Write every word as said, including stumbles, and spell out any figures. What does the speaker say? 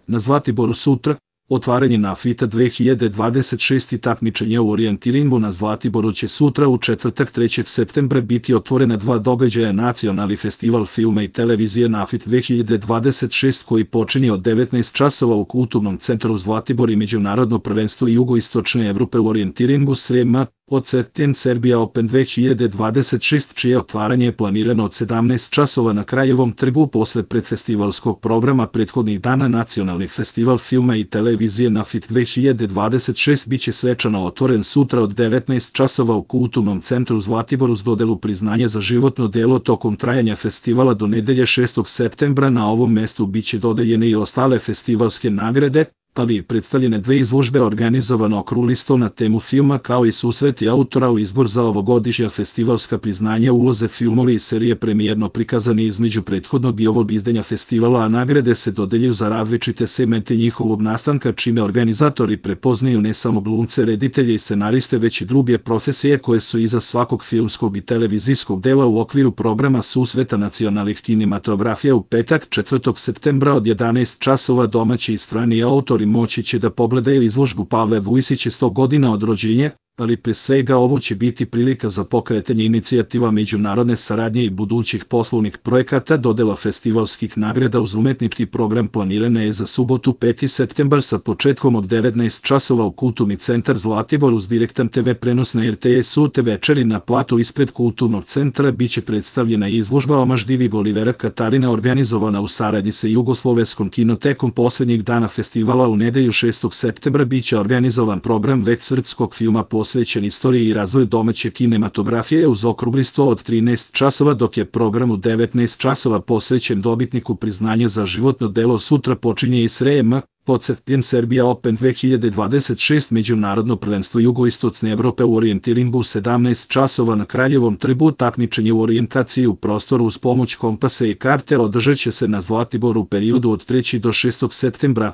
Na Zlatiboru sutra, otvaranje NAFIT-a dve hiljade dvadeset šest i takmičenje u orijentiringu na Zlatiboru će sutra u četvrtak trećeg septembra biti otvorena dva događaja. Nacionalni festival filma i televizije NAFIT dve hiljade dvadeset šest koji počinje od devetnaest časova u Kulturnom centru Zlatibor i međunarodno prvenstvo jugoistočne Evrope u orijentiringu S R E M-a, Odseten Serbia Open dve hiljade dvadeset šest, čije otvaranje je planirano od sedamnaest časova na Kraljevom trgu. Posle predfestivalskog programa prethodnih dana Nacionalni festival filma i televizije NAFIT dve hiljade dvadeset šest biće svečano otvoren sutra od devetnaest časova u Kulturnom centru Zlatibor uz dodelu priznanja za životno delo. Tokom trajanja festivala do nedelje šestog septembra na ovom mestu biće dodeljene i ostale festivalske nagrade, ali i predstavljene dve izložbe organizovano okrugli sto na temu filma, kao i susreti autora u izbor za ovogodišnja festivalska priznanja, uloze filmovi i serije premijerno prikazani između prethodnog i ovog izdanja festivala, a nagrade se dodeljuju za različite segmente njihovog nastanka, čime organizatori prepoznaju ne samo glumce, reditelje i scenariste, već i druge profesije koje su iza svakog filmskog i televizijskog dela. U okviru programa susreta nacionalnih kinematografija u petak četvrtog septembra od jedanaest časova domaći i strani autori moći će da pogledaju izložbu Pavle Vujsića sto godina od rođenja, ali pre svega ovo će biti prilika za pokretanje inicijativa međunarodne saradnje i budućih poslovnih projekata. Dodela festivalskih nagrada uz umetnički program planirana je za subotu peti septembar sa početkom od devetnaest časova u Kulturni centar Zlatibor uz direktan te ve prenos na er te es-u. Te večeri na platu ispred Kulturnog centra biće predstavljena izložba Omaž divig Olivera Katarina organizovana u saradnji sa Jugoslovenskom kinotekom. Poslednjih dana festivala u nedelju šestog septembra biće organizovan program već srpskog filma posvećen istoriji i razvoju domaće kinematografije uz okrugli sto od trinaest časova, dok je program u devetnaest časova posvećen dobitniku priznanja za životno delo. Sutra počinje i S R E M-a, Odseten Serbia Open dve hiljade dvadeset šest, međunarodno prvenstvo jugoistočne Evrope u orijentiringu u sedamnaest časova na Kraljevom trgu. Takmičenje u orijentaciji u prostoru uz pomoć kompasa i karte održat će se na Zlatiboru u periodu od trećeg do šestog septembra.